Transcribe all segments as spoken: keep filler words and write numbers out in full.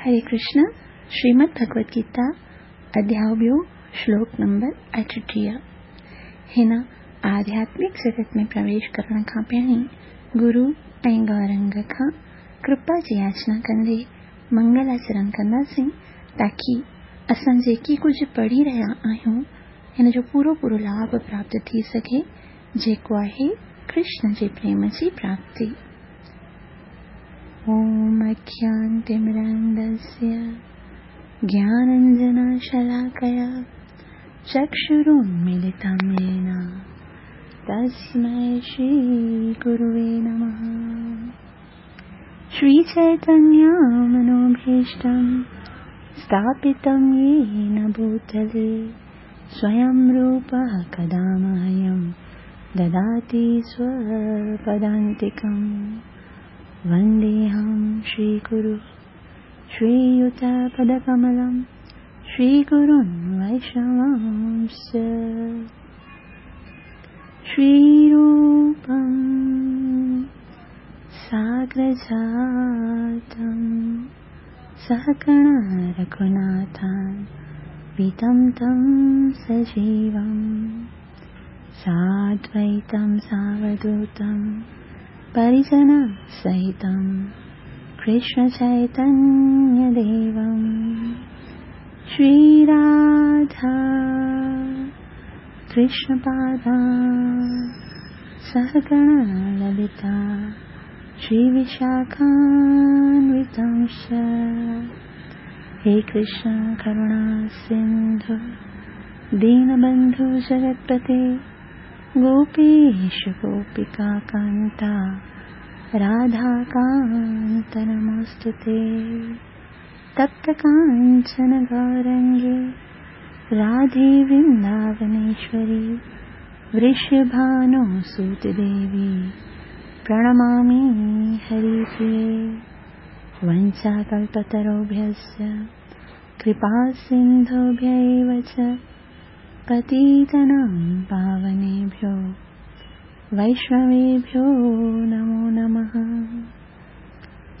हरे कृष्ण। श्रीमद् भगवद गीता अध्याय ॿियो श्लोक नंबर अठटीह। हिन आध्यात्मिक जगत में प्रवेश करण खां पहिरीं गुरु ऐं गौरंग खां कृपा जी याचना कंदे मंगलाचरण कंदासीं ताकी असां जेकी कुझु पढ़ी रहिया आहियूं हिन जो पूरो पूरो लाभ प्राप्त थी सघे, जेको आहे कृष्ण जे प्रेम जी प्राप्ति। ॐ अज्ञानतिमिरान्धस्य ज्ञानाञ्जनशलाकया चक्षुरुन्मीलितं येन तस्मै श्रीगुरुवे नमः। श्रीचैतन्यमनोभीष्टं स्थापितं येन भूतले स्वयं रूपः कदा मह्यं ददाति स्वपदान्तिकम्। वन्देऽहं श्रीगुरु श्रीयुतपदकमलं श्रीगुरुन् वैष्णवांश्च। श्रीरूपं साग्रजातं सहगण रघुनाथान्वितं तं सजीवं साद्वैतं सावधूतं परिजनसहितं कृष्णचैतन्यदेवं। श्रीराधा कृष्णपादा सहगण ललिता श्रीविशाखान्वितांश्च। हे कृष्ण करुणा सिन्धु दीनबन्धु जगत्पते गोपीश गोपिका कान्ता राधाकान्त नमोऽस्तुते। तप्त काञ्चन गौरङ्गे राधे वृन्दावनेश्वरी वृषभानुसुते देवी प्रणमामि हरिप्रिये। वञ्चाकल्पतरुभ्यश्च कृपासिन्धुभ्य एव च पतितानां पावनेभ्यो वैष्णवेभ्यो नमो नमः।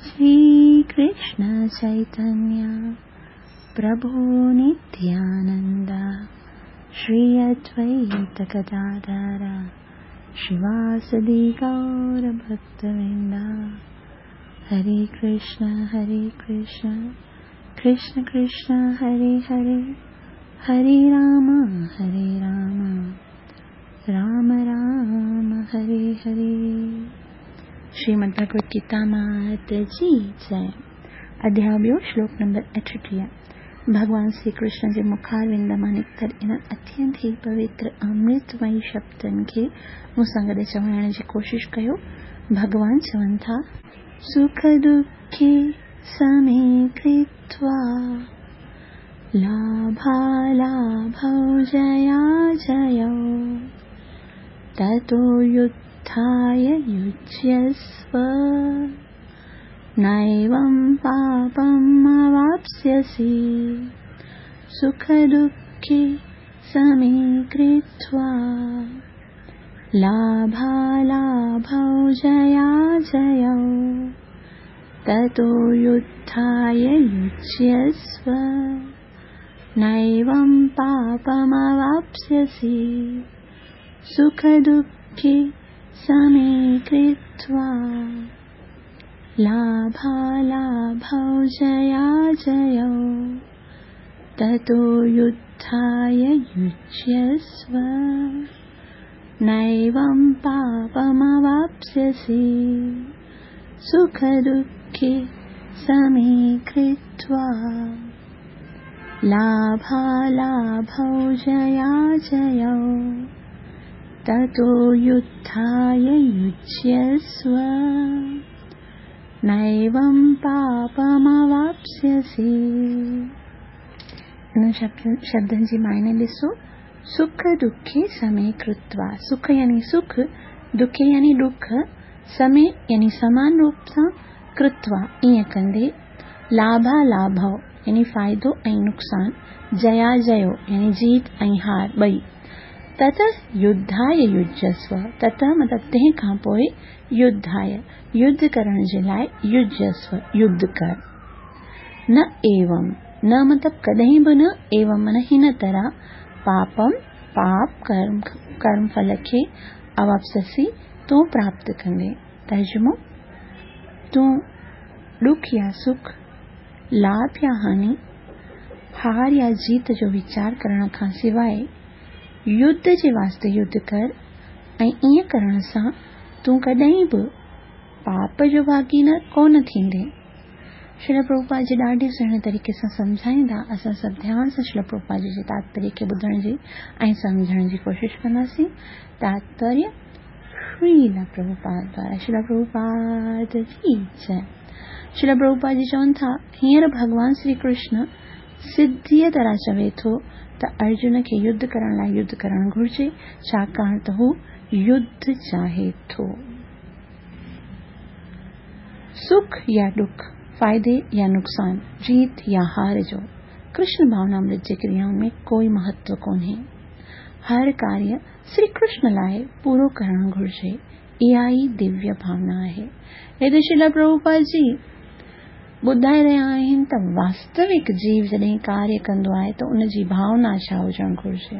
श्रीकृष्ण चैतन्य प्रभु नित्यानन्द श्री अद्वैत गदाधर श्रीवासदि गौरभक्तवृन्द। हरे कृष्ण हरे कृष्ण कृष्ण कृष्ण हरे हरे, हरे राम हरे राम राम राम हरे हरे। श्रीमद् भगवद गीता मात जी जय। अध्याय ॿियो श्लोक नंबर अठटीह। भॻवान श्री कृष्ण जे मुखारविंद मां निकितल इन्हनि अत्यंत ई पवित्र अमृतमयी शब्दनि खे मूं सां गॾु चवाइण जी कोशिश कयो। भॻवान चवनि था, सुख दुःखे समे कृत्वा लाभालाभौ जयाजयौ ततो युद्धाय युज्यस्व नैवं पापम् अवाप्स्यसि। सुखदुःखे समे कृत्वा लाभालाभौ जयाजयौ ततो युद्धाय युज्यस्व नैवं पापमवाप्स्यसि। सुखदुःखे समे कृत्वा लाभालाभौ जयाजयौ ततो युद्धाय युज्यस्व नैवं पापमवाप्स्यसि। सुखदुःखे समे कृत्वा लाभालाभौ जयाजयौ ततो युद्धाय युज्यस्व नैवं पापमवाप्स्यसि। इन शब्दनि जी मायने ॾिसो, सुख दुखे समे कृत्वा। सुख यानी सुख, दुखे यानी ॾुख, समे यानी समान रूप सां, कृत्वा ईअं कंदे, लाभालाभौ यानी फ़ाइदो ऐं नुक़सान, जयाजयो यानी जीत ऐं हार ॿई, तत युद्धाय युज्यस्व। तत मतिलबु तंहिं खां पोइ युद्धाय युद्ध करण जे लाइ युज्यस्व युद्ध कर। न एवं, न मतिलबु कॾहिं बि न, एवं माना हिन तरह, पापम पाप कर्म कर्म फल खे अवापससी तूं प्राप्त कंदे। तर्जुमो, तूं ॾुख या सुख, लाभ या हानि, हार या जीत जो वीचार करण खां सवाइ युद्ध जे वास्ते युद्ध कर ऐं ईअं करण सां तूं कॾहिं बि पाप जो भागी न कोन थींदे। श्रील प्रभुपाद जी ॾाढे सुहिणे तरीक़े सां सम्झाईंदा। असां सभु ध्यान सां श्रील प्रभुपाद जी जे तात्पर्य खे ॿुधण जी ऐं सम्झण जी कोशिशि कंदासीं। तात्पर्य श्रील प्रभुपाद द्वारा। श्रील प्रभुपाद की जय। श्रील प्रभुपाद जी चवनि था, हींअर भॻवान श्री कृष्ण सिधीअ तरह चवे थो त अर्जुन खे युद्ध करण लाइ युद्ध करणु घुरिजे, छाकाणि त हू युद्ध चाहे थो। सुख या ॾुख, फ़ाइदे या नुक़सान, जीत या हार जो कृष्ण भावनामृत जे क्रियाउनि में कोई महत्व कोन्हे। हर कार्य श्री कृष्ण लाइ पूरो करणु घुरिजे, इहा ई दिव्य भावना आहे। हिते श्रील प्रभुपाद जी ॿुधाए रहिया आहिनि त वास्तविक जीव जॾहिं कार्य कंदो आहे त उनजी भावना छा हुजणु घुरिजे।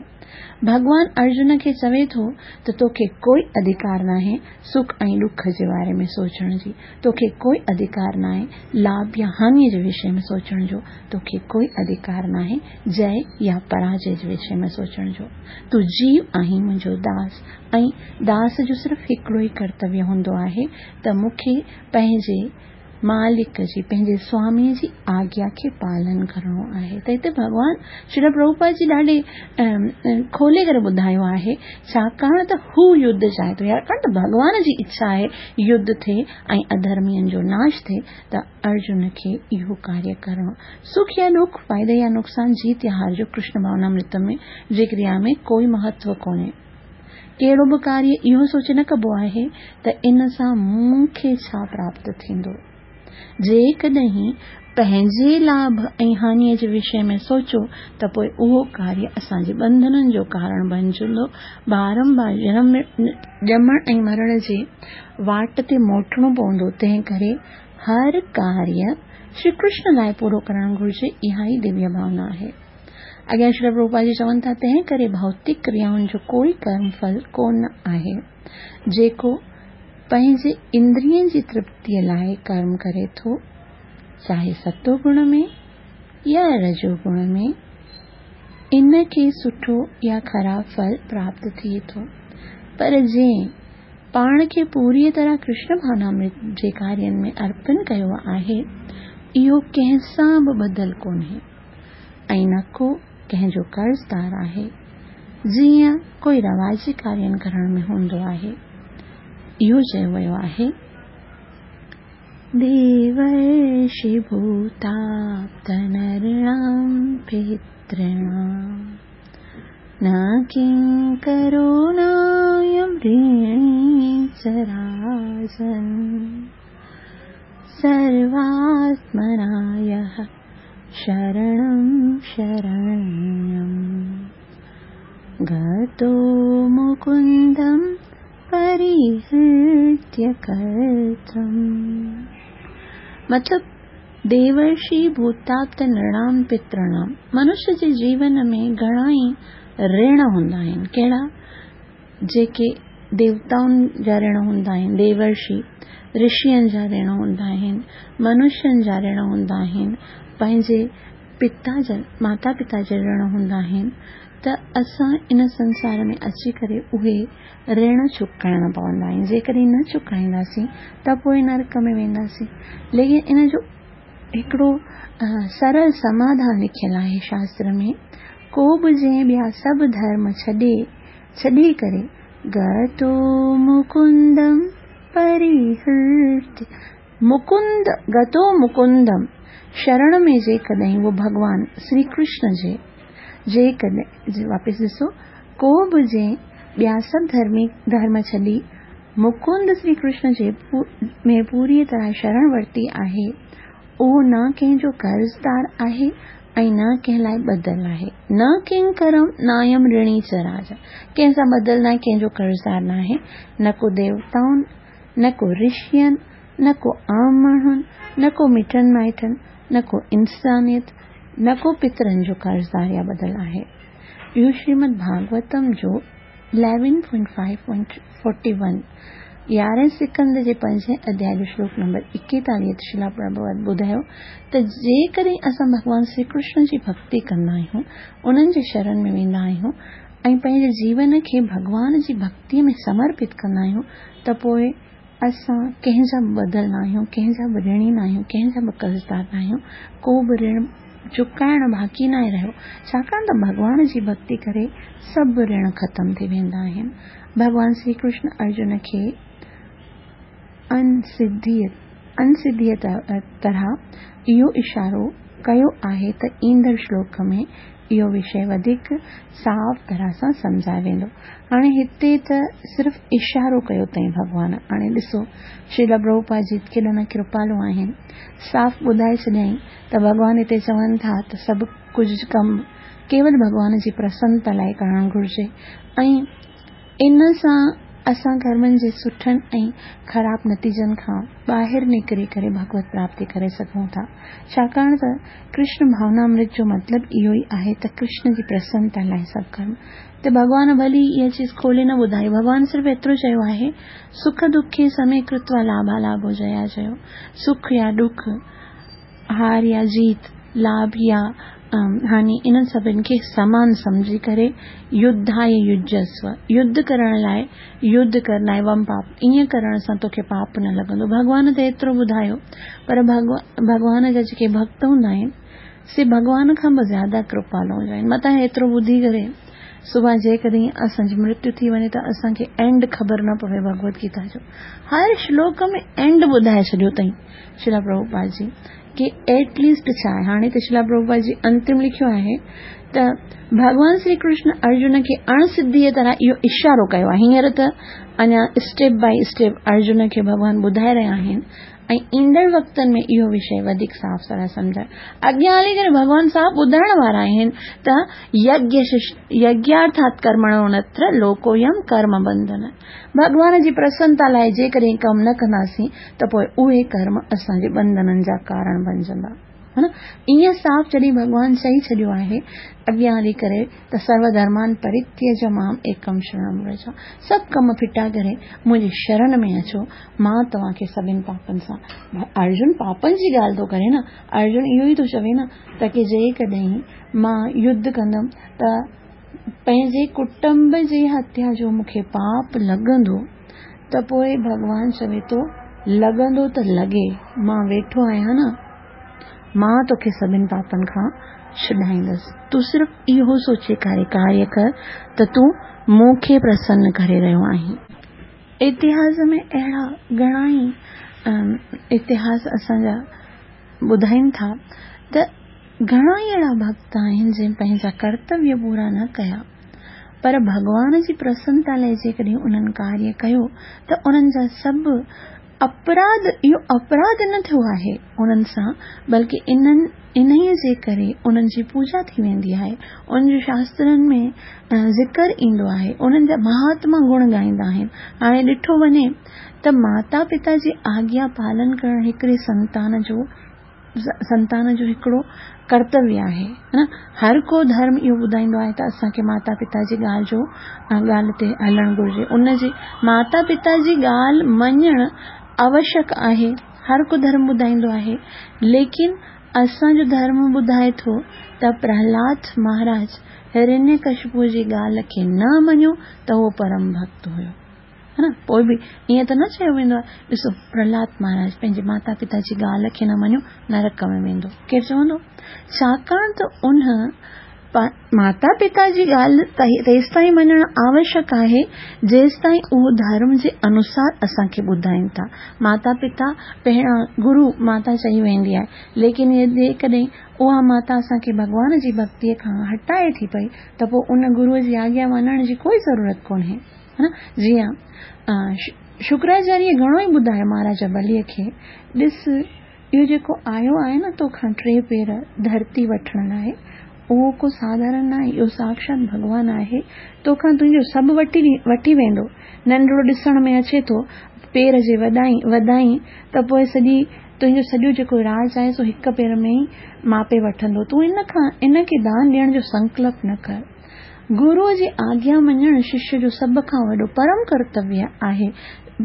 भॻवान अर्जुन खे चवे थो त तोखे कोई अधिकार नाहे सुख ऐं ॾुख जे बारे में सोचण जी, तोखे कोई अधिकार नाहे लाभ या हानि जे विषय में सोचण जो, तोखे कोई अधिकार नाहे जय या पराजय जे विषय में सोचण जो। तूं जीव आहीं मुंहिंजो दास, ऐं दास जो सिर्फ़ु हिकिड़ो ई कर्तव्य हूंदो आहे त मूंखे पंहिंजे मालिक जी, पंहिंजे स्वामीअ जी आज्ञा खे पालन करिणो आहे। त हिते भॻवान श्रील प्रभुपाद जी ॾाढे खोले करे ॿुधायो आहे, छाकाणि त हू युद्ध चाहे थो, छाकाणि त भॻवान जी इच्छा आहे युद्ध थिए ऐं अधर्मियुनि जो नाश थिए, त अर्जुन खे इहो कार्य करिणो। सुख या ॾुख, फ़ाइदे या नुक़सान, जीत या हार जो कृष्ण भावनामृत में जे क्रिया में कोई महत्व कोन्हे। कहिड़ो बि कार्य इहो सोचे न कबो आहे त इन सां मूंखे छा प्राप्त थींदो। जेकॾहिं पंहिंजे लाभ ऐं हानिअ जे विषय में सोचो त पोइ उहो कार्य असांजे बंधननि जो कारण बणिजंदो। बारंबार जनम ॼमण ऐं मरण जे वाट ते मोटणो पवंदो। तंहिं करे हर कार्य श्री कृष्ण लाइ पूरो करणु घुरिजे, इहा ई दिव्य भावना आहे। अॻियां श्रील प्रभुपाद जी चवनि था, तंहिं करे भौतिक क्रियाउनि जो कोई कर्म फल कोन आहे। जेको पंहिंजे इंद्रियनि जी तृप्तीअ लाइ कर्म करे थो, चाहे सतोगुण में या रजोगुण में, इन खे सुठो या ख़राब फल प्राप्त थिए थो। पर जंहिं पाण खे पूरीअ तरह कृष्ण भावनामृत जे कार्यनि में अर्पण कयो आहे, इहो कंहिं सां बि ॿधल कोन्हे ऐं न को कंहिंजो कर्ज़दार आहे, जीअं कोई रवाजी कार्यनि करण में हूंदो आहे। इहो चयो वियो आहे, देवर्षि भूताप्तनृणां पितॄणां न किङ्करो नायं ऋणी च राजन् सर्वात्मना यः शरणं शरण्यं गतो मुकुन्दं परिहृत्य कर्तुम्। मतिलबु देवर्षि भूताप्त नृणाम पितृणाम, मनुष्य जे जीवन में घणा ई ऋण हूंदा आहिनि। कहिड़ा? जेके देवताउनि जा ऋण हूंदा आहिनि, देवर्षि ऋषियुनि जा ऋण हूंदा आहिनि, मनुष्यनि जा ऋण हूंदा आहिनि, पंहिंजे पिता जा माता पिता जा ऋण हूंदा आहिनि। त असां इन संसार में अची करे उहे ऋण चुकाइणा पवंदा आहिनि। जेकॾहिं न चुकाईंदासीं त पोइ नरक में वेंदासीं। लेकिन इन जो हिकिड़ो सरल समाधान लिखियलु आहे शास्त्र में, को बि जंहिं ॿिया सभु धर्म छॾे छॾी करे गतो मुकुंदम परिहृत्य, मुकुंद गतो मुकुंदम, शरण में जेकॾहिं उहो भॻवान श्री कृष्ण जे जेकॾहिं वापसि ॾिसो, को बि जंहिं ॿिया सभु धर्मी धर्म छॾी मुकुंद श्री कृष्ण जे में पूरीअ तरह शरण वरिती आहे, उहो न कंहिंजो कर्ज़दार आहे ऐं न कंहिं लाइ ॿधल आहे। न किंकरम नायम ऋणी च राजा, कंहिं सां ॿधल न आहे, कंहिंजो कर्ज़दार न आहे, न को देवताउनि, न को ऋषियुनि, न को आम माण्हुनि, न को मिटनि माइटनि, نه ڪو انسانيت، نه ڪو پترن جو قرضدار يا ٻڌل آهي. اهو شريمد ڀاڳوتم جو eleven point five point forty one يارهين سڪنڌ جي پنجين اڌياء جو شلوڪ نمبر ايڪيتاليهه تي شريلا پرڀوپاد ٻڌايو ته جيڪڏهن اسان ڀڳوان شري ڪرشن جي ڀڳتي ڪندا آهيون، انهن جي شرڻ ۾ ويندا آهيون ۽ پنهنجي جيون کي ڀڳوان جي ڀڳتيء ۾ سمرپت ڪندا آهيون ته پوء اسان ڪنهن جا به ٻڌل نه آهيون، ڪنهن جا به رڻي نه آهيون، ڪنهن جا به قرضدار نه آهيون، ڪو به رڻ چڪائڻ باقي ناهي رهيو، ڇاڪاڻ ته ڀڳوان جي ڀڳتي ڪري سڀ رڻ ختم ٿي ويندا آهن. ڀڳوان شري ڪرشن ارجن کي اڻسڌيء طرح اهو اشارو ڪيو آهي ته ايندڙ شلوڪ ۾ اهو وشيه وڌيڪ صاف طرح سان سمجهايو ويندو. هاڻي هتي ته صرف اشارو ڪيو اٿئين ڀڳوان. هاڻي ڏسو شريلا پرڀوپاد جي ڪيڏا نه ڪرپالو آهن، صاف ٻڌائي ڇڏيائين ته ڀڳوان هتي چون ٿا ته سڀ ڪجهه ڪم ڪيول ڀڳوان جي پرسنتا لاءِ ڪرڻ گهرجي ۽ ان سان اسان ڪرمن جي سٺن ۽ خراب نتيجن کان ٻاهر نڪري ڪري ڀڳوت پراپتي ڪري سگهون ٿا. ڇاڪاڻ ته ڪرشن ڀاونامرت جو مطلب اهو ئي آهي ته ڪرشن جي پرسنتا لاءِ سڀ ڪرم. ته ڀڳوان ڀلي اها چيز کولي نه ٻڌائي، ڀڳوان صرف ايترو چيو آهي سک دکي سمي ڪرتوا لاڀا لاڀو جيا جيو. سک يا ڏک، هار يا جيت، لاڀ يا هاني، انهن سڀني کي سمان سمجهي ڪري يڌاءِ يجسو، يڌ ڪرڻ لاءِ يڌ ڪرڻ ايوم پاپ، ائين ڪرڻ سان توکي پاپ نه لڳندو. ڀڳوان ته ايترو ٻڌايو، پر ڀڳوان جا جيڪي ڀڳت هوندا آهن سي ڀڳوان کان به زياده ڪرپالو هوندا آهن. متان ايترو ٻڌي ڪري سڀاڻي جيڪڏهن اسان جي مرتيو ٿي وڃي ته اسان کي اينڊ خبر نه پوي. ڀڳوت گيتا جو هر شلوڪ ۾ اينڊ ٻڌائي ڇڏيو اٿئين شريلا پرڀوپاد جي ڪه ايٽ ليسٽ ڇا آهي. هاڻي ته شريلا پرڀوپاد جي انتم لکيو آهي ته ڀڳوان شري ڪرشن ارجن کي اڻسڌيءَ طرح اهو اشارو ڪيو آهي. هينئر ته اڃا اسٽيپ باءِ اسٽيپ ارجن کي ڀڳوان ٻڌائي رهيا آهن ۽ ايندڙ وقتن ۾ اهو وشيه وڌيڪ صاف طرح سمجهائي اڳيان هلي ڪري ڀڳوان صاف ٻڌائڻ وارا آهن ته يگيارٿات ڪرمڻو نتر لوڪويم ڪرم بنڌن. ڀڳوان جي پرسنتا لاءِ جيڪڏهن ڪم نه ڪنداسين ته پوءِ اهي ڪرم اسان جي بنڌنن جا ڪارڻ بڻجندا. ها نه، ائين صاف جڏهن ڀڳوان چئي ڇڏيو آهي اڳيان هلي ڪري ته سرو ڌرمان پرتيج مام ايڪم شرڻم ورج، سڀ ڪم ڦٽا ڪري منهنجي شرڻ ۾ اچو، مان توهان کي سڀني پاپن سان. ارجن پاپن جي ڳالهه ٿو ڪري نه، ارجن اهو ئي ٿو چوي نه ته ڪه جيڪڏهن مان يڌ ڪندم ته پنهنجي ڪٽنب جي هتيا جو مون کي پاپ لڳندو، ته پوءِ ڀڳوان چوي ٿو لڳندو ته لڳي، مان ويٺو آهيان نه، مان توکي سڀني پاپن کان ڇڏائيندس. تون صرف اهو سوچي ڪري ڪاريه ڪر ته تون مون کي پرسن ڪري رهيو آهين. اتهاس ۾ اهڙا گهڻا ئي اتهاس اسان جا ٻڌائين ٿا ته گهڻا ئي اهڙا ڀڳت آهن جن پنهنجا ڪرتويه پورا نه ڪيا، پر ڀڳوان جي پرسنتا لاءِ جيڪڏهن انهن ڪاريه ڪيو ته انهن جا سڀ اپراڌ، اهو اپراڌ نه ٿيو آهي انهن سان، بلڪه انهن انهيءَ جي ڪري انهن جي پوڄا ٿي ويندي آهي، انهن جو شاسترن ۾ ذڪر ايندو آهي، انهن جا مهاتما گڻ ڳائيندا آهن. هاڻي ڏٺو وڃي ته ماتا پتا جي آگيا پالن ڪرڻ هڪڙي سنتان جو سنتان جو هڪڙو ڪرتويه آهي نه. هر ڪو ڌرم اهو ٻڌائيندو آهي ته اسان کي ماتا پتا جي ڳالهه جو ڳالهه تي هلڻ گهرجي، ان جي ماتا پتا جي ڳالهه مڃڻ آوشيڪ آهي، هر ڪو ڌرم ٻڌائيندو آهي. ليڪن اسان جو ڌرم ٻڌائي ٿو ته پرهلاد مهاراج هرڻيڪشپو جي ڳالهه کي نه مڃيو ته اهو پرم ڀڳت هيو، ها نه. پوءِ به ائين ته نه چيو ويندو آهي ڏسو پرهلاد مهاراج پنهنجي ماتا پتا جي ڳالهه کي نه مڃيو نرڪ ۾ ويندو، ڪير چوندو؟ ڇاڪاڻ ته ان ماتا پتا جي ڳالهه تيس تائين مڃڻ آوشيڪ آهي جيس تائين اهو ڌرم جي انوسار اسان کي ٻڌائين ٿا. ماتا پتا پهريان گرو ماتا چئي ويندي آهي، ليڪن جيڪڏهن اها ماتا اسان کي ڀڳوان جي ڀڳتيءَ کان هٽائي ٿي پئي ته پوءِ ان گروءَ جي آگيا مڃڻ جي ڪوئي ضرورت ڪونهي، ها نه. جيئن شڪراچاريه گهڻو ئي ٻڌايو مهاراجا بليءَ کي، ڏس اهو جيڪو آيو آهي نه توکان ٽي پير ڌرتي وٺڻ لاءِ، اهو ڪو ساڌارڻ نه آهي، اهو ساڪشات ڀڳوان آهي، توکان تنهنجو سڀ وٺي وٺي ويندو. ننڍڙو ڏسڻ ۾ اچي ٿو، پير جي وڌائين وڌائين ته پوءِ سڄي تنهنجو سڄو جيڪو راڄ آهي سو هڪ پير ۾ ئي ماپي وٺندو. تون ان کان ان کي دان ڏيڻ جو سنڪلپ نه ڪر. گروءَ جي آگيا مڃڻ ششيه جو سڀ کان وڏو پرم ڪرتويه آهي.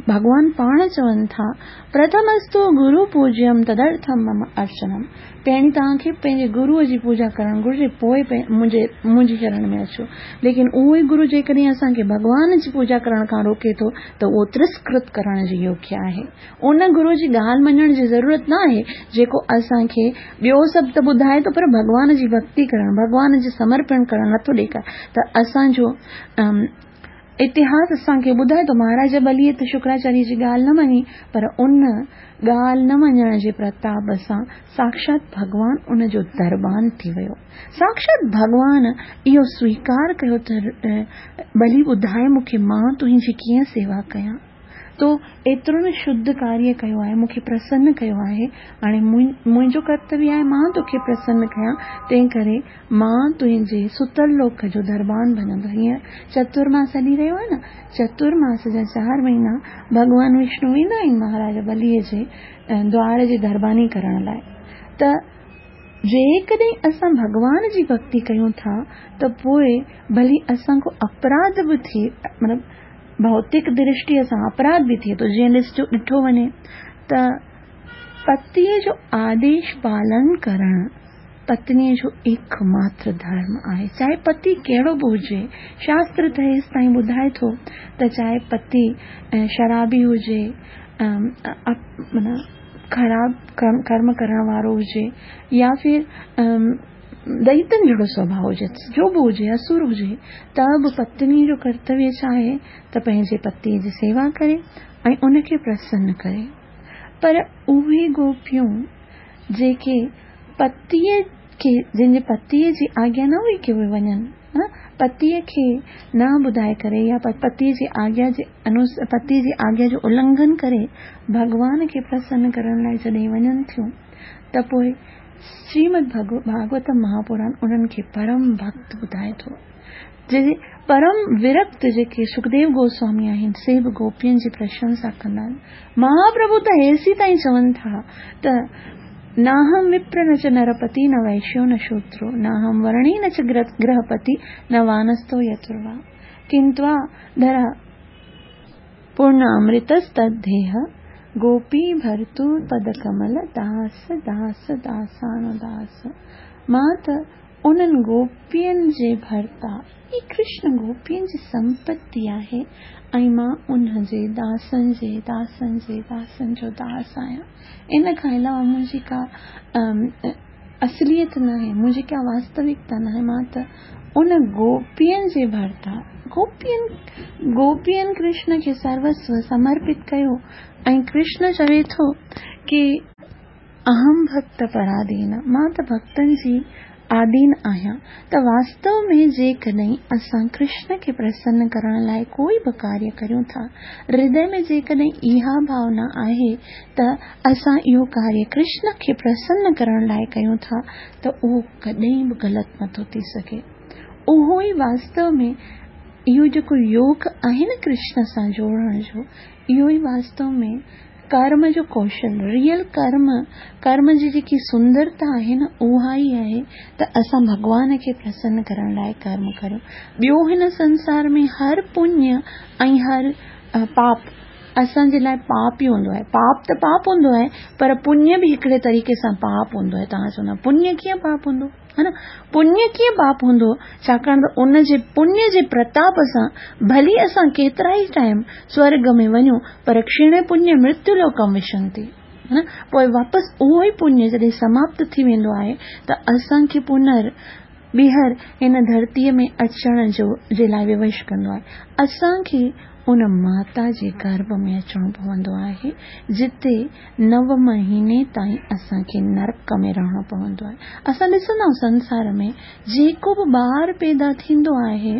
ڀڳوان پاڻ چون ٿا، پرٿمستو گرو پوجيم تدرٿم مم ارچنم. پهرين توهان کي پنهنجي گروءَ جي پوڄا ڪرڻ گهرجي، پوءِ منهنجي منهنجي شرڻ ۾ اچو. ليڪن اهو ئي گرو جيڪڏهن اسان کي ڀڳوان جي پوڄا ڪرڻ کان روڪي ٿو ته اهو ترسڪرت ڪرڻ جي يوگيه آهي. ان گروءَ جي ڳالهه مڃڻ جي ضرورت نه آهي جيڪو اسان کي ٻيو سڀ ته ٻڌائي ٿو پر ڀڳوان جي ڀڪتي ڪرڻ، ڀڳوان جي سمرپڻ ڪرڻ نٿو ڏيکاري. ته اسان جو اتهاس اسان کي ٻڌائي ٿو، مهاراج بليءَ ته شڪراچاريه جي ڳالهه نه مڃي، پر ان ڳالهه نه مڃڻ جي پرتاپ سان ساڪشات ڀڳوان ان جو دربان ٿي ويو. ساڪشات ڀڳوان اهو سويڪار ڪيو ته بلي ٻڌائي مون کي مان تنهنجي ڪيئن سيوا ڪيان، تو ايترو نه شڌ ڪاريه ڪيو آهي، مون کي پرسن ڪيو آهي، هاڻي منهنجو ڪرتويه آهي مان توکي پرسن ڪيان، تنهن ڪري مان تنهنجي ستل لوڪ جو دربان بڻندو. هينئر چترماس هلي رهيو آهي نه، چترماس جا چار مهينا ڀڳوان وشنو ويندا آهن مهاراج بليءَ جي دوار جي درباني ڪرڻ لاءِ. ته جيڪڏهن اسان ڀڳوان جي ڀڪتي ڪيون ٿا ته پوءِ ڀلي اسان کان اپراڌ به ٿئي، مطلب ڀوتڪ درشٽيءَ سان اپراڌ به ٿئي ٿو. جيئن ڏسجو ڏٺو وڃي ته پتيءَ جو آديش پالن ڪرڻ پتنيءَ جو ايڪ ماتر ڌرم آهي، چاهي پتي ڪهڙو به هجي. شاستر ته هيس تائين ٻڌائي ٿو ته چاهي پتي شرابي هجي، معنيٰ خراب ڪرم ڪرڻ وارو هجي، يا ڦر دئيتن جهڙو سوڀاءُ هجي، جو به هجي، اسر هجي، ته به پتنيءَ جو ڪرتويه ڇا آهي ته پنهنجي پتيءَ جي سيوا ڪري ۽ ان کي پرسن ڪري. پر اهي گوپيون جيڪي پتيءَ کي، جن جي پتيءَ جي آگيا نه هئي ڪه اهي وڃن، پتيءَ کي نه ٻڌائي ڪري يا پتيءَ جي آگيا جي انوس پتيءَ جي آگيا جو النگهن ڪري ڀڳوان کي پرسن ڪرڻ لاءِ جڏهن وڃن ٿيون ته پوءِ شريمد ڀاڳوت مهاپراڻ انهن کي پرم ڀڪت ٻڌائي ٿو. جي پرم ورڪت جيڪي سکديو گوسوامي آهن سي به گوپين جي پرشنسا ڪندا آهن. مهاپرڀو ته هيسي تائين چون ٿا ته ناهم وپر نه چ نرپتي نه ويشيو نه شوترو، ناهم ورڻي نه چ گرهپتي نه وانستو يتروا، ڪنتوا ڌرا پورن امرتستद्धेह گوپي ڀرتو پد ڪمل داس داس داسانوداس. مان ته انهن گوپين جي ڀرتا، هي ڪرشن گوپين جي سمپتي آهي ۽ مان ان جي داسن جي داسن جي داسن جو داس آهيان. ان کان علاوه منهنجي ڪا اصليت نه آهي، منهنجي ڪا واستوڪتا نه آهي. مان ته ان گوپين جي ڀرتا، گوپين گوپين ڪرشن کي سروسو سمرپت ڪيو ۽ ڪرشن چوي ٿو ڪه اهم ڀڪت پرادين، مان ته ڀڪتن جي آڌين آهيان. ته واستو ۾ جيڪڏهن اسان ڪرشن کي پرسن ڪرڻ لاءِ ڪوئي به ڪاريه ڪريون ٿا، هردي ۾ جيڪڏهن اها ڀاونا آهي ته اسان اهو ڪاريه ڪرشن کي پرسن ڪرڻ لاءِ ڪيون ٿا ته اهو ڪڏهن به غلط نٿو ٿي سگهي. اهو ئي واستو ۾ اهو جيڪو يوگ آهي نه ڪرشن سان جوڙڻ جو، اهو ئي واستو ۾ ڪرم جو ڪوشل، ريئل ڪرم، ڪرم جي جيڪي سندرتا آهي نه اها ئي آهي ته اسان ڀڳوان کي پرسن ڪرڻ لاءِ ڪرم ڪريون. ٻيو هن سنسار ۾ هر پڃ ۽ هر پاپ اسان جي لاءِ پاپ ئي هوندو آهي. پاپ ته پاپ هوندو آهي پر پڃ به هڪڙي طريقي سان پاپ هوندو آهي. توهان چوندا پڃ ڪيئن پاپ هوندو؟ ها نه، پڃ ڪيئن پاپ هوندو؟ ڇاڪاڻ ته ان جي پڃ جي پرتاپ سان ڀلي اسان ڪيترا ئي ٽائيم سورڳ ۾ وڃون پر ڪشڻ پڃ مرتيو لوڪم وشنتي، ها نه، پوءِ واپس اهو ئي پڃ جڏهن سماپت ٿي ويندو آهي ته اسان کي پنر ٻيهر هن ڌرتيءَ ۾ اچڻ جو جي لاءِ ووش ڪندو آهي. اسان کي ان ماتا جي گرڀ ۾ اچڻو پوندو آهي جتي نو مهيني تائين اسان کي نرڪ ۾ رهڻو پوندو آهي. اسان ڏسندا آهيون سنسار ۾ جيڪو به ٻار پيدا ٿيندو آهي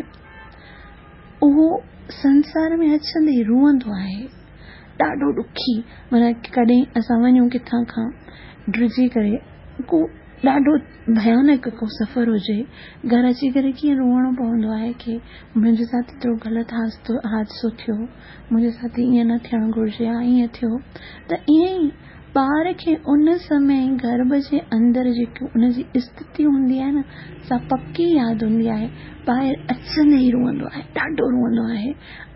اهو سنسار ۾ اچندي ئي روئندو آهي، ڏاڍو ڏکي. معنيٰ ڪڏهن اسان وڃون ڪٿان کان ڊڄي ڪري، ڪو ڏاڍو ڀيانڪ ڪو سفر هجي، گهر اچي ڪري ڪيئن روئڻو پوندو آهي ڪه منهنجي ساٿ ايترو غلط حادثو ٿيو، منهنجي ساٿ ائين نه ٿيڻ گهرجي ها، ائين ٿيو. ته ائين ئي ٻار کي ان سمي گرڀ جي اندر جيڪي ان جي اسٿتي هوندي آهي نه، سا پڪي ياد هوندي آهي. ٻاهر اچندي ئي روئندو آهي، ڏاڍو روئندو آهي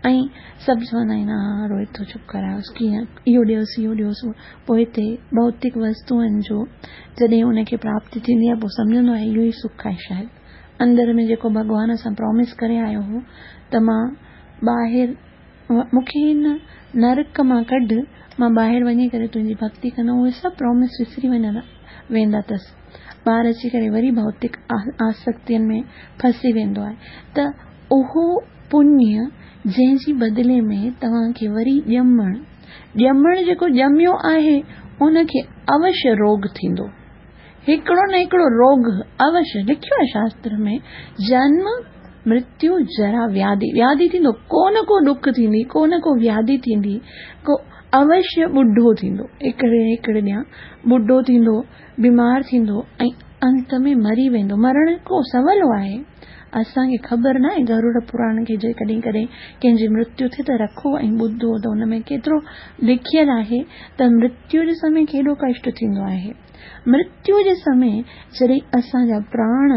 ۽ سڀ چوندا آهن ها روئي ٿو، چپ ڪرايوس، ڪيئن اهو ڏيوس اهو ڏيوس. پوءِ هتي ڀوتڪ وستوئن جو جڏهن ان کي پراپتي ٿيندي آهي، پوءِ سمجهندو آهي اهو ئي سک آهي. شايد اندر ۾ جيڪو ڀڳوان سان پرامس ڪري آيو هو ته مان ٻاهر، مون کي هن نرڪ مان ڪڍ، مان ٻاهر وڃي ڪري تنهنجي ڀڪتي ڪندم، اهي سڀ پرامس وسري وڃندا ويندا اٿس. ٻار اچي ڪري وري ڀوتڪ آسڪتين ۾ ڦسي ويندو آهي. ته اهو پڃ جنهن جي بدلي ۾ توهان کي وري ڄمڻ ڄمڻ جيڪو ڄميو آهي ان کي اوشيه روڳ ٿيندو، هڪڙو نه هڪڙو روڳ اوشيه. لکيو آهي شاستر ۾ جنم مرتيو جرا وياڌي، وياڌي ٿيندو، ڪو نه ڪو ڏک ٿيندي، ڪو نه ڪو وياڌي ٿيندي، ڪو اوشيه ٻڍو ٿيندو، هڪڙي هڪڙي ڏينهن ٻڍو ٿيندو، بيمار ٿيندو ۽ انت ۾ مري ويندو. مرڻ ڪو سولو آهي؟ اسان کي خبر نه آهي. گرڙ پراڻ کي جي ڪڏهن ڪڏهن ڪنهن جي مرتيو ٿئي ته رکو ۽ ٻڌو ته ان ۾ ڪيترو لکيل آهي ته مرتيو جي سمي ڪيڏو ڪشٽ ٿيندو آهي. مرتيو جي سمي جڏهن اسان جا پراڻ،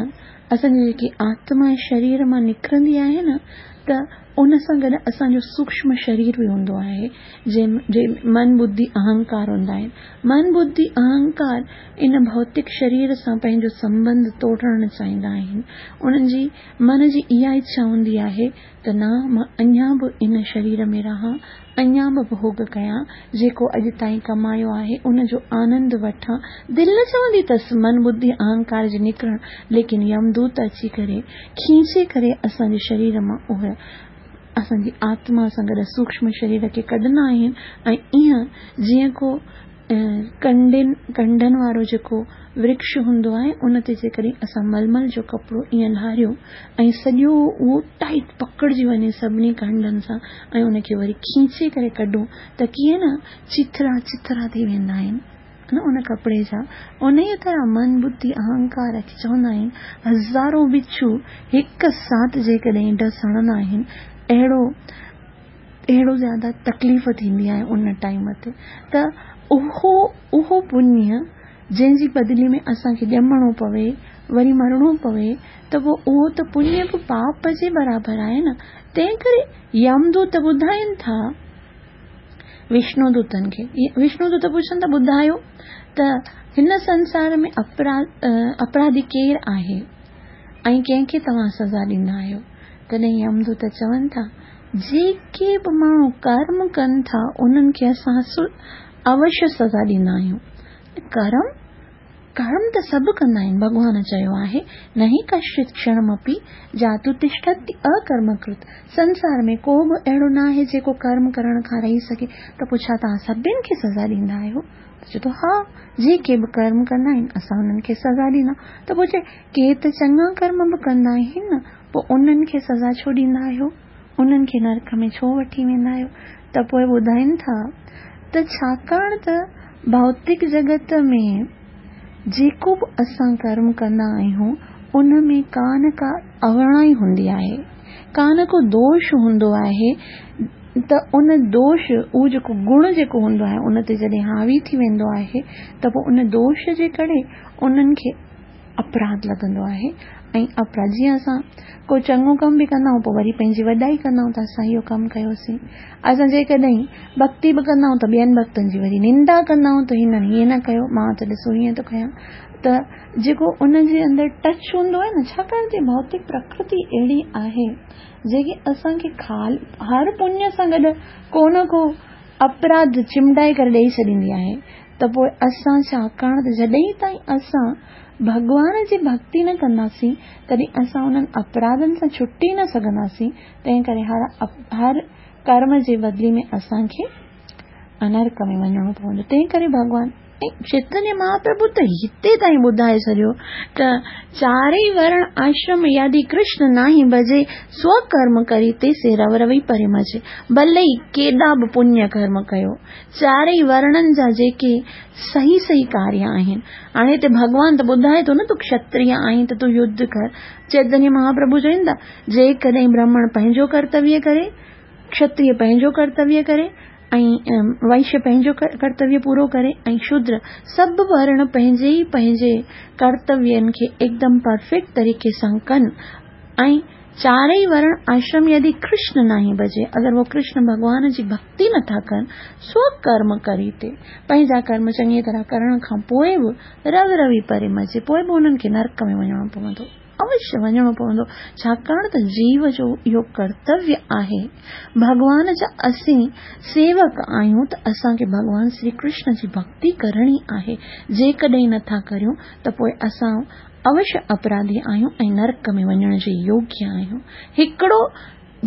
اسان جي جيڪي آتما شرير مان نڪرندي آهي نه، ته ان سان گڏ اسان جو سوڪشم شرير به هوندو آهي، جنهن من ٻڌي اهنڪار هوندا آهن. من ٻڌي اهنڪار ان ڀوتڪ شرير سان پنهنجو سنٻنڌ ٽوڙڻ چاهيندا آهن. انهن جي من جي اها اڇا هوندي آهي ته نه، مان اڃا به ان شرير ۾ رهان، اڃا به ڀوڳ ڪيان، جيڪو اڄ تائين ڪمايو آهي ان جو آنند وٺان. دل نه چوندي اٿس من ٻڌي اهنڪار جي نڪرڻ، ليڪن يمدوت اچي ڪري کينچي ڪري اسان جي شرير مان اهي اسان جي آتما سان گڏ سوڪشم شرير کي ڪڍندا آهن. ۽ ائين جيئن ڪو ڪنڊن ڪنڊن وارو جيڪو ورڪش هوندو آهي، ان تي جيڪڏهن اسان ململ جو ڪپڙو ائين لاهريون ۽ سڄو اهو ٽائيٽ پڪڙجي وڃي سڀني ڪنڊن سان ۽ ان کي وري کينچي ڪري ڪڍون ته ڪيئن نه چٿرا چٿرا ٿي ويندا آهن نه ان ڪپڙي جا. ان ئي طرح من ٻڌي اهنڪار کي چوندا آهن هزارون بڇو هڪ ساٿ جيڪڏهن ڊس هڻندا آهن، اهڙو اهڙو زياده تڪليف ٿيندي آهي ان ٽائيم تي. ته اهو اهو پڃ جنهن جي بدلي ۾ اسان کي ڄمڻو پوي، وري مرڻو پوي، ته پوءِ اهو ته پڃ به پاپ جي برابر آهي نه. تنهن ڪري يمدوت ٻڌائين ٿا وشنو دوتن کي، وشنو دوت پڇن ٿا ٻڌايو ته هن سنسار ۾ اپراڌي ڪير آهي ۽ ڪنهن کي توهان سزا ڏيندا آهيو؟ تڏهن يمدوت چون ٿا جيڪي به ماڻهو ڪرم ڪن ٿا انهن کي اسان اوشيه سزا ڏيندا آهيون. ڪرم ڪرم ته سڀ ڪندا آهن، ڀڳوان چيو آهي نهي ڪشچت ڪشڻمپي جاتو تشٺتي اڪرمڪرت. سنسار ۾ ڪو به اهڙو نه آهي جيڪو ڪرم ڪرڻ کان رهي سگهي. ته پوءِ ڇا توهان سڀني کي سزا ڏيندا آهيو؟ ته چئي ٿو ها، جيڪي به ڪرم ڪندا آهن اسان انهن کي سزا ڏيندا. ته پوءِ چئي ڪي ته چڱا ڪرم به ڪندا آهن نه، پوءِ انهن کي سزا ڇو ڏيندا آهيو؟ انهن کي نرڪ ۾ ڇو وٺي ويندا آهيو؟ ته پوءِ ٻڌائين ٿا ته ڇاڪاڻ ته ڀوتڪ جڳت ۾ جيڪو به اسان ڪرم ڪندا آهيون ان ۾ ڪا نه ڪا اوڻائي هوندي آهي، ڪا نه ڪو دوش هوندو آهي. ته ان دوش اهو جيڪو گڻ جيڪو هوندو آهي ان تي جڏهن حاوي ٿي ويندو آهي ته پوءِ ان دوش جي ڪري انهن کي اپراڌ لڳندو آهي. ۽ اپراڌ جيئن اسان ڪو چڱو ڪم به ڪندا آهيون پوءِ وري پنهنجي وڏائي ڪندا آهيون ته اسان اهو ڪم ڪيوسين. اسان جيڪڏهن ڀڪتي به ڪندا آهيون ته ٻين ڀڪتن جي وري نندا ڪندا آهيون ته هنن هيئن نه ڪيو، مان ته ڏسو هيئن ٿو ڪيان. ته جيڪو ان جي اندر ٽچ هوندو آهي نه، ڇاڪاڻ ته ڀوتڪ پرڪرتي اهڙي آهي جيڪي اسان کي کال هر پڃ سان گڏ ڪو نه ڪو اپراڌ چمڊائي ڪري ڏيئي ڇڏيندي آهي. ته پوءِ اسان ڇاڪاڻ ته جڏهن تائين اسان ڀڳوان جي ڀڪتي نه ڪنداسين تڏهن اسان انهن اپراڌن سان ڇٽي نه سگهنداسين. تنهن ڪري هر هر ڪرم جي بدلي ۾ اسان کي انرڪ ۾ وڃڻو پوندو. تنهن ڪري ڀڳوان ۽ چيتنيه مهاپرڀو ته هتي تائين ٻڌائي ڇڏيو ته چارئي ورڻ آشرم يدي ڪرشن ناهي ڀجي، سوڪرم ڪري تي سي رو روي پري مجي. ڀلي ئي ڪيڏا به پڃ ڪرم ڪيو، چارئي ورڻن جا جيڪي صحيح صحيح ڪاريه آهن. هاڻي هتي ڀڳوان ته ٻڌائي ٿو نه تون ڪشتريه آهين ته تون يڌ ڪر. چيتنيه مهاپرڀو چون ٿا جيڪڏهن برهمڻ پنهنجو ڪرتويه ڪري، ڪشتريه پنهنجو ڪرتويه ڪري ऐं वैश्य पंहिंजो कर्तव्य पूरो करे ऐं शूद्र सभु वर्ण पंहिंजे ई पंहिंजे कर्तव्यनि खे एकदम परफेक्ट तरीक़े सां कनि ऐं चारई वर्ण आश्रम यदि कृष्ण नाही भजे, अगरि उहो कृष्ण भॻवान जी भक्ति नथा कनि, स्वकर्म करी ते पंहिंजा कर्म चङी तरह करण खां पोइ बि रव रवि परे मजे, पोइ बि उन्हनि खे नरक में वञिणो पवंदो, अवश्य वञिणो पवंदो। छाकाणि त जीव जो इहो कर्तव्य आहे। भॻवान जा असीं सेवक आहियूं त असांखे भॻवान श्री कृष्ण जी भक्ति करणी आहे। जेकॾहिं नथा करियूं त पोइ असां अवश्य अपराधी आहियूं ऐं नरक में वञण जे योग्य आहियूं। हिकिड़ो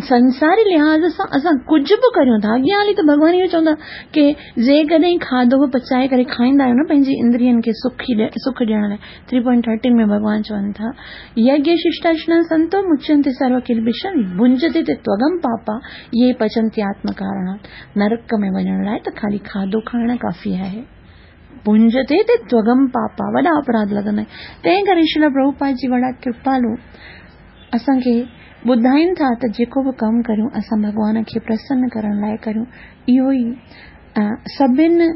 संसारी लिहाज़ सां असां कुझु बि करियूं था, अॻियां हली त भॻवान इहो चवंदा की जेकॾहिं खाधो बि पचाए करे खाईंदा आहियो न पंहिंजी इंद्रियनि खे सुखी सुख ॾियण लाइ, थ्री पॉइंट थर्टीन में भॻवान चवनि था, यज्ञ शिष्टाशना संतो मुच्यन्ते सर्व किल्बिषं भुंजते ते त्वगम पापा ये पचंती आत्मकारणात्। नरक में वञण लाइ त ख़ाली खाधो खाइण काफ़ी आहे, भुंजते ते त्वगम पापा, वॾा अपराध लॻंदा आहिनि। तंहिं करे श्रील प्रभुपाद जी वॾा कृपालू असांखे ॿुधाइनि था त जेको बि कमु करियूं असां भॻवान खे प्रसन्न करण लाइ करियूं। इहो ई सभिनि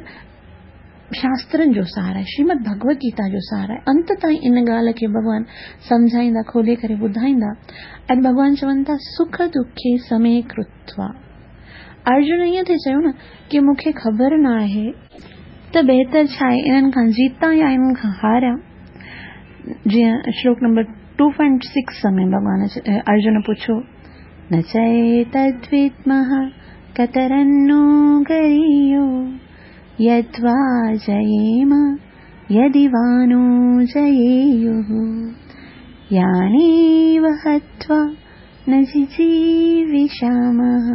शास्त्रनि जो सार आहे, श्रीमद भगवत गीता जो सार आहे। अंत ताईं इन ॻाल्हि खे भॻवान सम्झाईंदा, खोले करे ॿुधाईंदा। ऐं भॻवान चवनि था सुख दुखे समय कृत्वा। अर्जुन ईअं थिए चयो न की मूंखे ख़बर न आहे त बहितर छा आहे, इन्हनि खां जीतां या इन्हनि खां हारियां। जीअं श्लोक नंबर टू पॉइंट सिक्स में भॻवान अर्जुन पुछो, न चैतद्विद्मः कतरन्नो गरीयो यद्वा जयेम यदि वा नो जयेयुः यानेव हत्वा न जिजीविषामः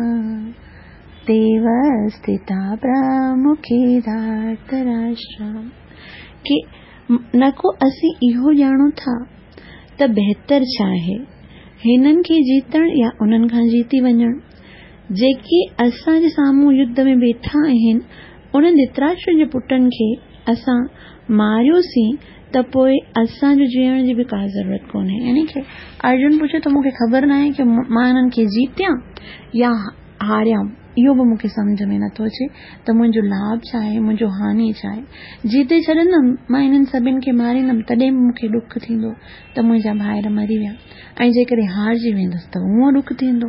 तेव स्थिता प्रमुखे धार्तराष्ट्राम्। की न को असीं इहो ॼाणूं था त बहितर छा आहे, हिननि खे जीतण या उन्हनि खां जीती वञण। जेके असांजे साम्हूं युद्ध में वेठा आहिनि उन्हनि धृतराष्ट्र जे पुटनि खे असां मारियोसीं त पोइ असांजो जीअण जी बि का ज़रूरत कोन्हे। यानी की अर्जुन पुछे त मूंखे ख़बर न आहे की मां हिननि खे जीतियां या हारियां, इहो बि मूंखे सम्झ में नथो अचे त मुंहिंजो लाभ छा आहे, मुंहिंजो हानि छा आहे। जीते छॾंदमि, मां हिननि सभिनि खे मारींदमि तॾहिं बि मूंखे ॾुख थींदो त मुंहिंजा भाइर मरी विया, ऐं जेकॾहिं हारजी वेंदुसि त उहो ॾुख थींदो।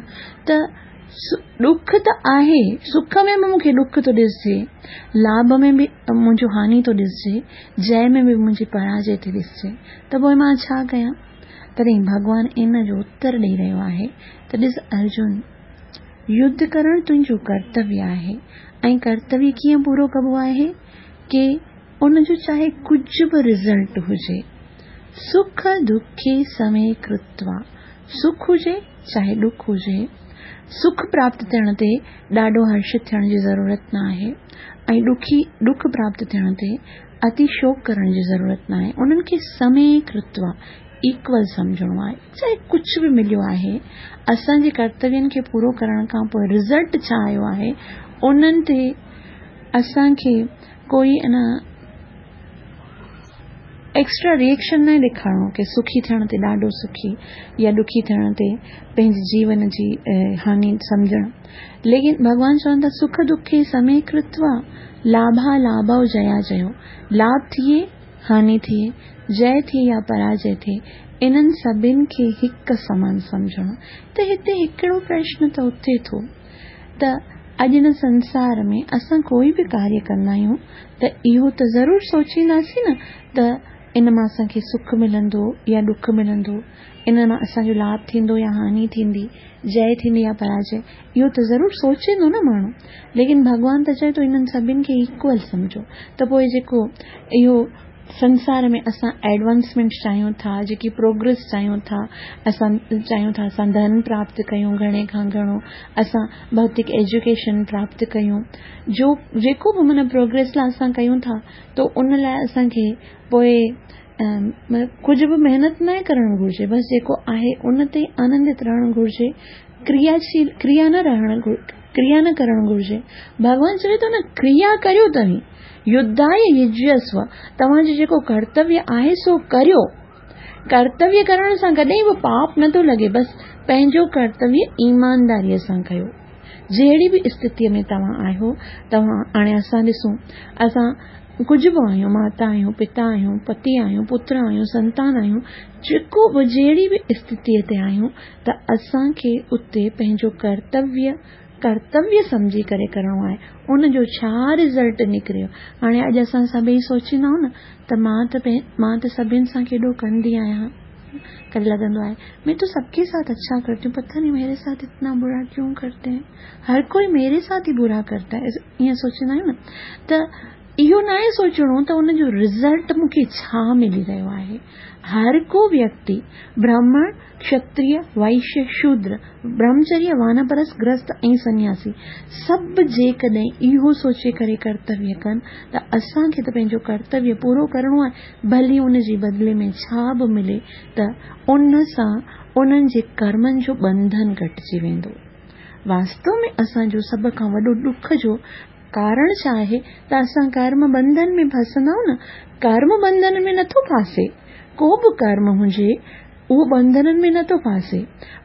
त ॾुख त आहे, सुख में बि मूंखे ॾुख थो ॾिसजे, लाभ में बि मुंहिंजो हानि थो ॾिसजे, जय में बि मुंहिंजी पराजय थी ॾिसजे, त पोइ मां छा कयां? तॾहिं भॻवान इन जो उत्तर ॾेई रहियो आहे त ॾिस अर्जुन, युद्ध करण तुंहिंजो कर्तव्य आहे ऐं कर्तव्य कीअं पूरो कबो आहे की उनजो चाहे कुझु बि रिज़ल्ट हुजे, सुख दुखे समय कृत्वा, सुख हुजे चाहे ॾुख हुजे, सुख प्राप्त थियण ते ॾाढो हर्षित थियण जी ज़रूरत न आहे ऐं ॾुखी ॾुख प्राप्त थियण ते अति शोक करण जी ज़रूरत न आहे। उन्हनि खे समय कृत्वा इक्वल सम्झणो आहे, चाहे कुझु बि मिलियो आहे, असांजे कर्तव्यनि खे पूरो करण खां पोइ रिज़ल्ट छा आयो आहे उन्हनि ते असांखे कोई न एक्स्ट्रा रिएक्शन न ॾेखारिणो की सुखी थियण ते ॾाढो सुखी या ॾुखी थियण ते पंहिंजे जीवन जी हानि सम्झणु। लेकिन भॻवान चवनि था सुख दुखे समय कृत्वा लाभा लाभव जया जयो, लाभ थिए हानि थिए, जय थिए या पराजय थिए, इन्हनि सभिनि खे हिकु समान सम्झणो। त हिते हिकिड़ो प्रश्न त उथे थो त अॼु हिन संसार में असां कोई बि कार्य कंदा आहियूं त इहो त ज़रूरु सोचींदासीं न त इन मां असांखे सुख मिलंदो या ॾुख मिलंदो, इन मां असांजो लाभ थींदो या हानि थींदी, जय थींदी या पराजय, इहो त ज़रूरु सोचींदो न माण्हू। लेकिन भॻवान त चए थो इन्हनि सभिनि खे इक्वल सम्झो। त पोइ जेको इहो संसार में असां एडवांसमेंट चाहियूं था, जेकी प्रोग्रेस चाहियूं था, असां चाहियूं था असां धन प्राप्त कयूं घणे खां घणो, असां भौतिक एजुकेशन प्राप्त कयूं, जो जेको बि माना प्रोग्रेस लाइ असां कयूं था त उन लाइ असांखे पोइ कुझु बि महिनत न करणु घुरिजे, बसि जेको आहे उन ते आनंदित रहणु घुरिजे, क्रियाशील क्रिया न रहणु क्रिया न करणु घुरिजे। भॻवान चवे थो न क्रिया करियो तव्हीं, युद्धाय युज्यस्व, तव्हांजो जेको कर्तव्य आहे सो करियो। कर्तव्य करण सां कॾहिं बि पाप नथो लॻे, बसि पंहिंजो कर्तव्य ईमानदारीअ सां कयो। जहिड़ी बि स्थितीअ में तव्हां आहियो, तव्हां हाणे असां ॾिसूं, असां कुझु बि आहियूं, माता आहियूं, पिता आहियूं, पति आहियूं, पुत्र आहियूं, संतान आहियूं, जेको बि जहिड़ी बि स्थितीअ ते आहियूं त असांखे उते पंहिंजो कर्तव्य कर्तव्य सम्झी करे करिणो आहे। उनजो छा रिज़ल्ट निकिरियो? हाणे अॼु असां सभई सोचींदा आहियूं न त मां त मां त सभिनि सां केॾो कंदी आहियां, कॾहिं लॻंदो आहे मैं तो सबके साथ अच्छा करती हूँ, पता नहीं मेरे साथ इतना बुरा क्यों करते हैं, हर कोई मेरे साथ ही बुरा करता है, ईअं सोचींदा आहियूं न। त इहो न आहे सोचणो त उनजो रिज़ल्ट मूंखे छा मिली रहियो आहे। हर को व्यक्ति ब्राह्मण, क्षत्रिय, वैश्य, शूद्र, ब्रह्मचर्य, वानप्रस्थ, गृहस्थ ऐं सन्यासी सभु जेकॾहिं इहो सोचे करे कर्तव्य कनि त असांखे त पंहिंजो कर्तव्य पूरो करिणो आहे, भली उनजे बदिले में छा बि मिले त उन सां उन्हनि जे कर्मनि जो बंधन घटिजी वेंदो। वास्तव में असांजो सभ खां वॾो ॾुख जो कारण छा आहे त असां कर्म बंधन में फसंदा आहियूं न। कर्म बंधन में नथो फासे, को बि कर्म हुजे उहो बंधननि में नथो फासे,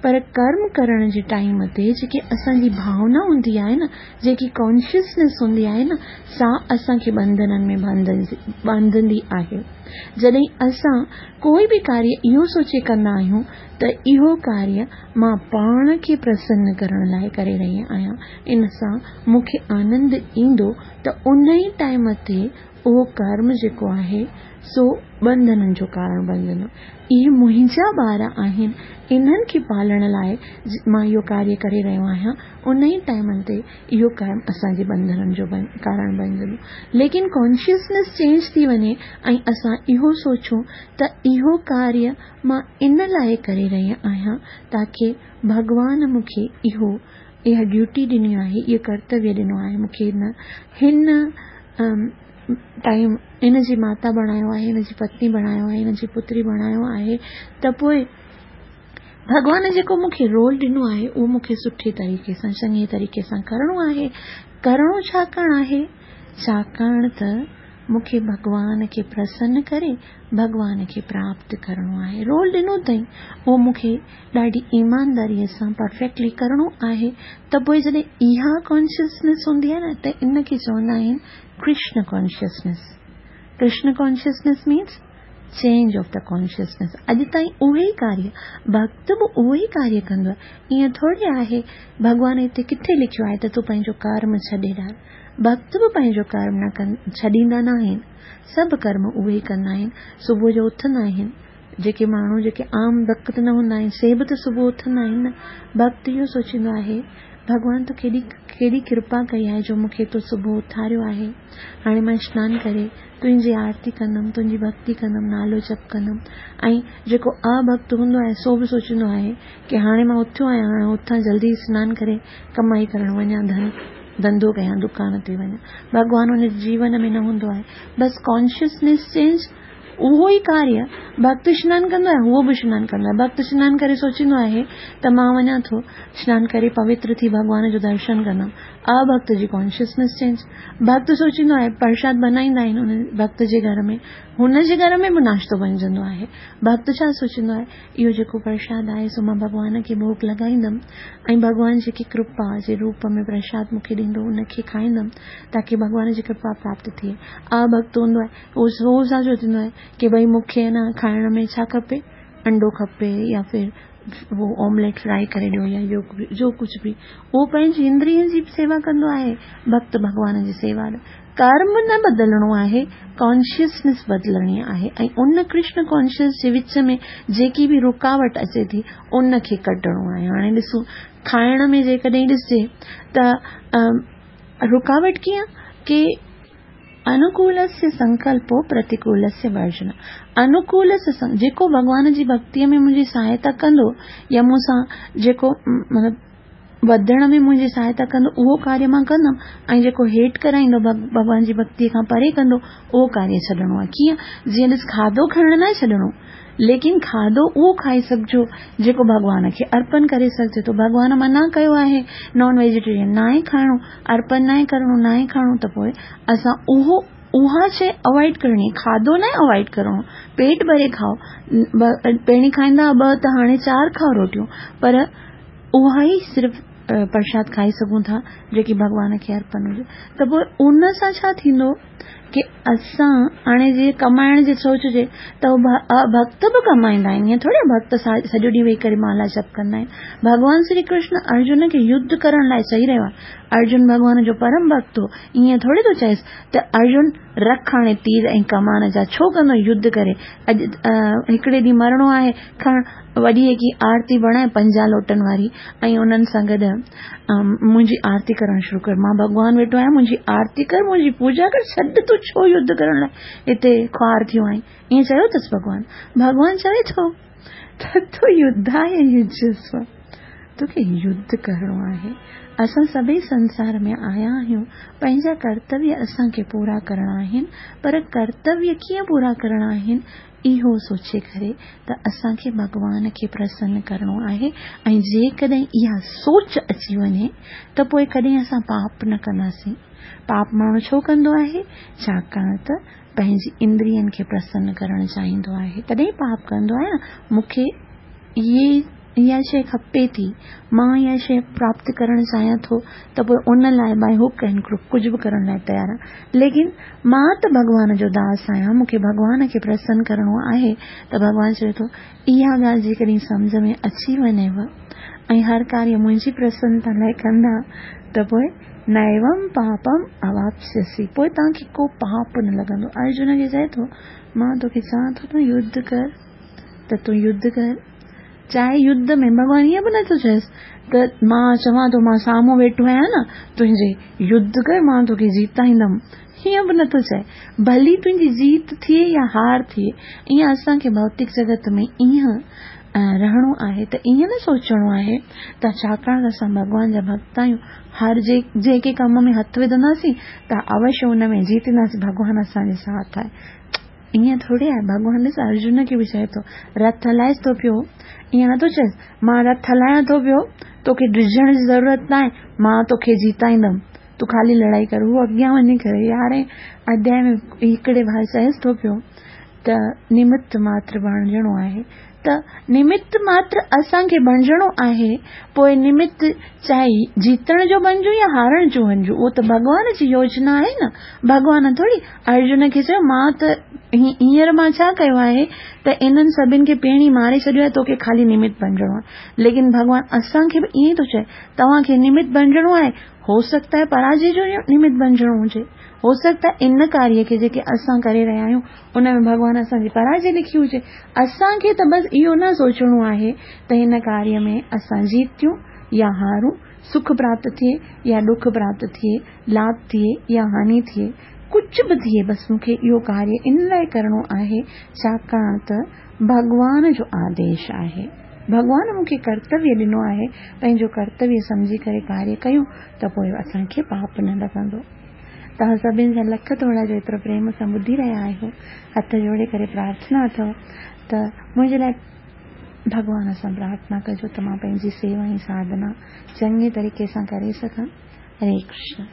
पर कर्म करण जे टाइम ते जेकी असांजी भावना हूंदी आहे न, जेकी कॉन्शियसनेस हूंदी आहे न, सा असांखे बंधननि में बांधंदी आहे। जॾहिं असां कोई बि कार्य इहो सोचे कंदा आहियूं त इहो कार्य मां पाण खे प्रसन्न करण लाइ करे रही आहियां, इन सां मूंखे आनंद ईंदो, त उन ई टाइम ते उहो कर्म जेको आहे सो बंधननि जो कारण बणजंदो। इहे मुंहिंजा ॿार आहिनि, इन्हनि खे पालण लाइ मां इहो कार्य करे रहियो आहियां, उन ई टाइमनि ते इहो कर्म असांजे बंधननि जो कारण बणजंदो। लेकिन कॉन्शियसनेस चेंज थी वञे ऐं असां इहो सोचूं त इहो कार्य मां इन लाइ करे रही आहियां ताकी भॻवान मूंखे इहो इहा ड्यूटी ॾिनी आहे, इहो कर्तव्य ॾिनो आहे, मूंखे हिन हिन टाइम इन जी माता बणायो आहे, हिन जी पत्नी बणायो आहे, हिन जी पुत्री बणायो आहे, त पोइ भॻवान जेको मूंखे रोल ॾिनो आहे उहो मूंखे सुठे तरीक़े सां, चङे तरीक़े सां करिणो आहे। करिणो छाकाणि आहे? छाकाणि त मूंखे भॻवान खे प्रसन्न करे भॻवान खे प्राप्त करिणो आहे। रोल ॾिनो अथई उहो मूंखे ॾाढी ईमानदारीअ सां परफेक्टली करिणो आहे। त पोइ जॾहिं इहा कॉन्शियसनेस हूंदी आहे न, त इन खे चवंदा आहिनि Krishna consciousness. Krishna consciousness means change of the consciousness. अॼु ताईं उहे ई कार्य, भक्त बि उहो ई कार्य कंदो आहे। ईअं थोरी आहे भॻवान हिते किथे लिखियो आहे त तूं पंहिंजो कर्म छॾे ॾार। भक्त बि पंहिंजो कर्म न कन छॾींदा न आहिनि, सभु कर्म उहे ई कंदा आहिनि। सुबुह जो उथंदा आहिनि, जेके माण्हू जेके आम भक्त न हूंदा आहिनि से बि त सुबुह उथंदा आहिनि न। भक्त इहो सोचींदो आहे भॻवान तो केॾी केॾी कृपा कई आहे जो मूंखे तो सुबुह उथारियो आहे, हाणे मां सनानु करे तुंहिंजी आरती कंदमि, तुंहिंजी भक्ति कंदमि, नालो जप कंदमि। ऐं जेको अभक्त हूंदो आहे सो बि सोचींदो आहे की हाणे मां उथियो आहियां, हाणे उथां जल्दी सनानु करे कमाई करण वञा, धन धंधो कयां, दुकान ते वञा। भॻवान हुन जीवन में न हूंदो आहे। बसि कॉन्शियसनेस चेंज, उहो ई कार्य भक्त सनानु कंदो आहे, उहो बि सनानु कंदो आहे। भक्त सनानु करे सोचींदो आहे त मां वञा थो सनानु करे पवित्र थी भॻवान जो दर्शन कंदमि। अभक्त जी कॉन्शियसनेस चेंज। भक्त सोचींदो आहे प्रसाद बनाईंदा आहिनि हुन भक्त जे घर में, हुन जे घर में बि नाश्तो बणजंदो आहे। भक्त छा सोचींदो आहे इहो जेको प्रसाद आहे सो मां भॻवान खे भोग लॻाईंदमि ऐं भॻवान जेकी कृपा जे रूप में प्रसाद मूंखे ॾींदो उनखे खाईंदमि ताकी भॻवान जी कृपा प्राप्त थिए। अभक्त हूंदो आहे उहो सो छा सोचींदो आहे की भई मूंखे न खाइण में छा खपे, अंडो खपे या फिर वो ऑमलेट फ्राई करे ॾियो या जो जो कुझु बि, उहो पंहिंजी इंद्रियनि जी सेवा कंदो आहे। भक्त भॻवान जी सेवा। कर्म न बदिलणो आहे, कॉन्शियसनेस बदिलणी आहे ऐं उन कृष्ण कॉन्शियस जे विच में जेकी बि रुकावट अचे थी उनखे कढणो आहे। हाणे ॾिसूं खाइण में जेकॾहिं ॾिसजे त रुकावट कीअं की अनुकूलस्य संकल्पो प्रतिकूलस्य वर्जना। अनुकूलस्य जेको भॻवान जी भक्तीअ में मुंहिंजी सहायता कंदो या मूंसां जेको मतिलबु वधण में मुंहिंजी सहायता कंदो उहो कार्य मां कंदमि ऐं जेको हेठि कराईंदो भॻवान जी भक्तीअ खां परे कंदो उहो कार्य छॾिणो आहे। कीअं? जीअं ॾिस खाधो खाइणु न छॾिणो, लेकिन खाधो उहो खाई सघिजो जेको भॻवान खे अर्पण करे सघिजे थो। भॻवान मना कयो आहे नॉन वेजिटेरियन नाहे खाइणो, अर्पण नाहे करिणो, नाहे खाइणो, त पोइ असां उहो उहा शइ अवॉइड करणी, खाधो न अवॉइड करिणो। पेट भरे खाओ, पहिरीं खाईंदा ॿ त हाणे चारि खाओ रोटियूं, पर उहा ई सिर्फ़ پرشاد کائي سگهون ٿا جيڪي ڀڳوان کي ارپڻ هجي. ته پوءِ ان سان ڇا ٿيندو ڪه اسان هاڻي جيئن ڪمائڻ جي سوچ هجي ته ڀڪت به ڪمائيندا آهن، ائين ٿوري ڀڪت سڄو ڏينهن ويهي ڪري مالا جپ ڪندا آهن. ڀڳوان شري ڪرشن ارجن کي يڌ ڪرڻ لاءِ چئي رهيو آهي. ارجن ڀڳوان جو پرم ڀڪت هو، ائين ٿوري ٿو چئيس ته ارجن رک هاڻي تير ۽ ڪمان جا، ڇو ڪندو يڌ ڪري، اڄ هڪڙي ڏينهن مرڻو آهي، کڻ وڏي هڪ آرتي بڻائي پنجاهه لوٽن واري ۽ انهن سان گڏ منهنجي آرتي ڪرڻ شروع ڪر، مان ڀڳوان ويٺو آهيان، منهنجي آرتي ڪر، منهنجي پوڄا ڪر، ڇڏ تون ڇو يڌ ڪرڻ لاءِ هتي خوار ٿيو آهين. ائين چيو اٿس ڀڳوان. ڀڳوان چوي ٿو ته تون يڌاءِ يجسو، توکي يڌ ڪرڻو آهي. اسان سڀئي سنسار ۾ آيا آهيون، پنهنجا ڪرتويه اسان کي پورا ڪرڻا آهن، پر ڪرتويه ڪيئن پورا ڪرڻا آهن اهو سوچي ڪري ته اسان کي ڀڳوان کي پرسن ڪرڻو آهي. ۽ جيڪڏهن اها سوچ اچي وڃي ته پوءِ ڪڏهن اسان پاپ نه ڪنداسين. پاپ ماڻهو ڇو ڪندو آهي؟ ڇاڪاڻ ته پنهنجي اندرين کي پرسن ڪرڻ چاهيندو آهي، تڏهن پاپ ڪندو آهي نه. مون کي اهي اها شيءِ کپي ٿي، مان اها شيءِ پراپت ڪرڻ چاهيان ٿو، ته پوءِ ان لاءِ باءِ هڪ اينڊ ڪرڪ ڪجهه به ڪرڻ لاءِ تيار آهيان. ليڪن مان ته ڀڳوان جو داس آهيان، مون کي ڀڳوان کي پرسن ڪرڻو آهي. ته ڀڳوان چوي ٿو اها ڳالهه جيڪڏهن سمجهه ۾ اچي وڃيو ۽ هر ڪاريه منهنجي پرسنتا لاءِ ڪندا ته پوءِ نيوم پاپم اواپسيسي، پوءِ توهان کي ڪو پاپ نه لڳندو. ارجن کي چئي ٿو مان توکي چوان ٿو تون يڌ ڪر، ته تون يڌ ڪر. چاهي يڌ ۾ ڀڳوان ائين به نٿو چئيس ته مان چوان ٿو مان سامهون ويٺو آهيان نه تنهنجي، يڌ ڪر مان توکي جيتائيندم، هيئن به نٿو چئي. ڀلي تنهنجي جيت ٿئي يا هار ٿئي، ائين اسان کي ڀوتڪ جڳت ۾ ائين رهڻو آهي ته ائين نه سوچڻو آهي ته ڇاڪاڻ ته اسان ڀڳوان جا ڀڪت آهيون، هر جي جيڪي ڪم ۾ هٿ وجهنداسين ته اوشيه ان ۾ جيتينداسين، ڀڳوان اسان جي ساٿ آهي. ائين ٿوري آهي. ڀڳوان ڏس ارجن کي به چئي ٿو رٿ هلائيس ٿو پيو، ائين نٿو چئيس مان رٿ هلايان ٿو پيو، توکي ڊڄڻ جي ضرورت نه آهي، مان توکي جيتائيندم، تون خالي لڙائي ڪر. هو اڳيان وڃي ڪري يارهين اڌياءِ ۾ هڪڙي بار چئيس ٿو پيو ته نمت ماتر بڻجڻو آهي. ته نمت ماتر اسان کي بڻجڻو آهي، پوءِ نمت چاهي جيتڻ جو بڻجون يا هارڻ جو بڻجون، اهو ته ڀڳوان جي يوجنا آهي نه. ڀڳوان ٿوري ارجن کي چيو مان ته هينئر مان ڇا ڪيو آهي ته انهن سڀني کي پهرين ماري ڇڏيو آهي، توکي خالي نمت بڻجڻو آهي. ليڪن ڀڳوان اسان کي به ائين ٿو چئي توهان کي نمت بڻجڻو آهي، هو سگهتا آهي پراجي جو نمت بڻجڻو هجي، هو سگهتا آهي ان ڪاريه کي جيڪي اسان ڪري رهيا آهيون ان ۾ ڀڳوان اسان جي پراجي لکي هجي. اسان کي ته بس اهو نه سوچڻو آهي ته هن ڪاريه ۾ اسان جيتيون يا هارون، سک پراپت ٿئي يا ڏک پراپت ٿئي، لاڀ ٿئي يا هاني ٿئي، ڪجهه به ٿئي، بس مون کي اهو ڪاريه ان لاءِ ڪرڻو آهي ڇاڪاڻ ته ڀڳوان جو آديش آهي. ڀڳوان مون کي ڪرتويه ڏنو آهي، پنهنجو ڪرتويه سمجهي ڪري ڪاريه ڪيون ته پوءِ اسان کي پاپ نه لڳندو. توهان سڀني جا لک ٿورا جو ايترو پريم سان ٻڌي رهيا آهيو، هٿ جوڙي ڪري پرارٿنا اٿو ته منهنجي لاءِ ڀڳوان سان پرارٿنا ڪجو ته مان پنهنجي سيوا ۽ ساڌنا چڱي طريقي سان ڪري سگهان. هري ڪرشن.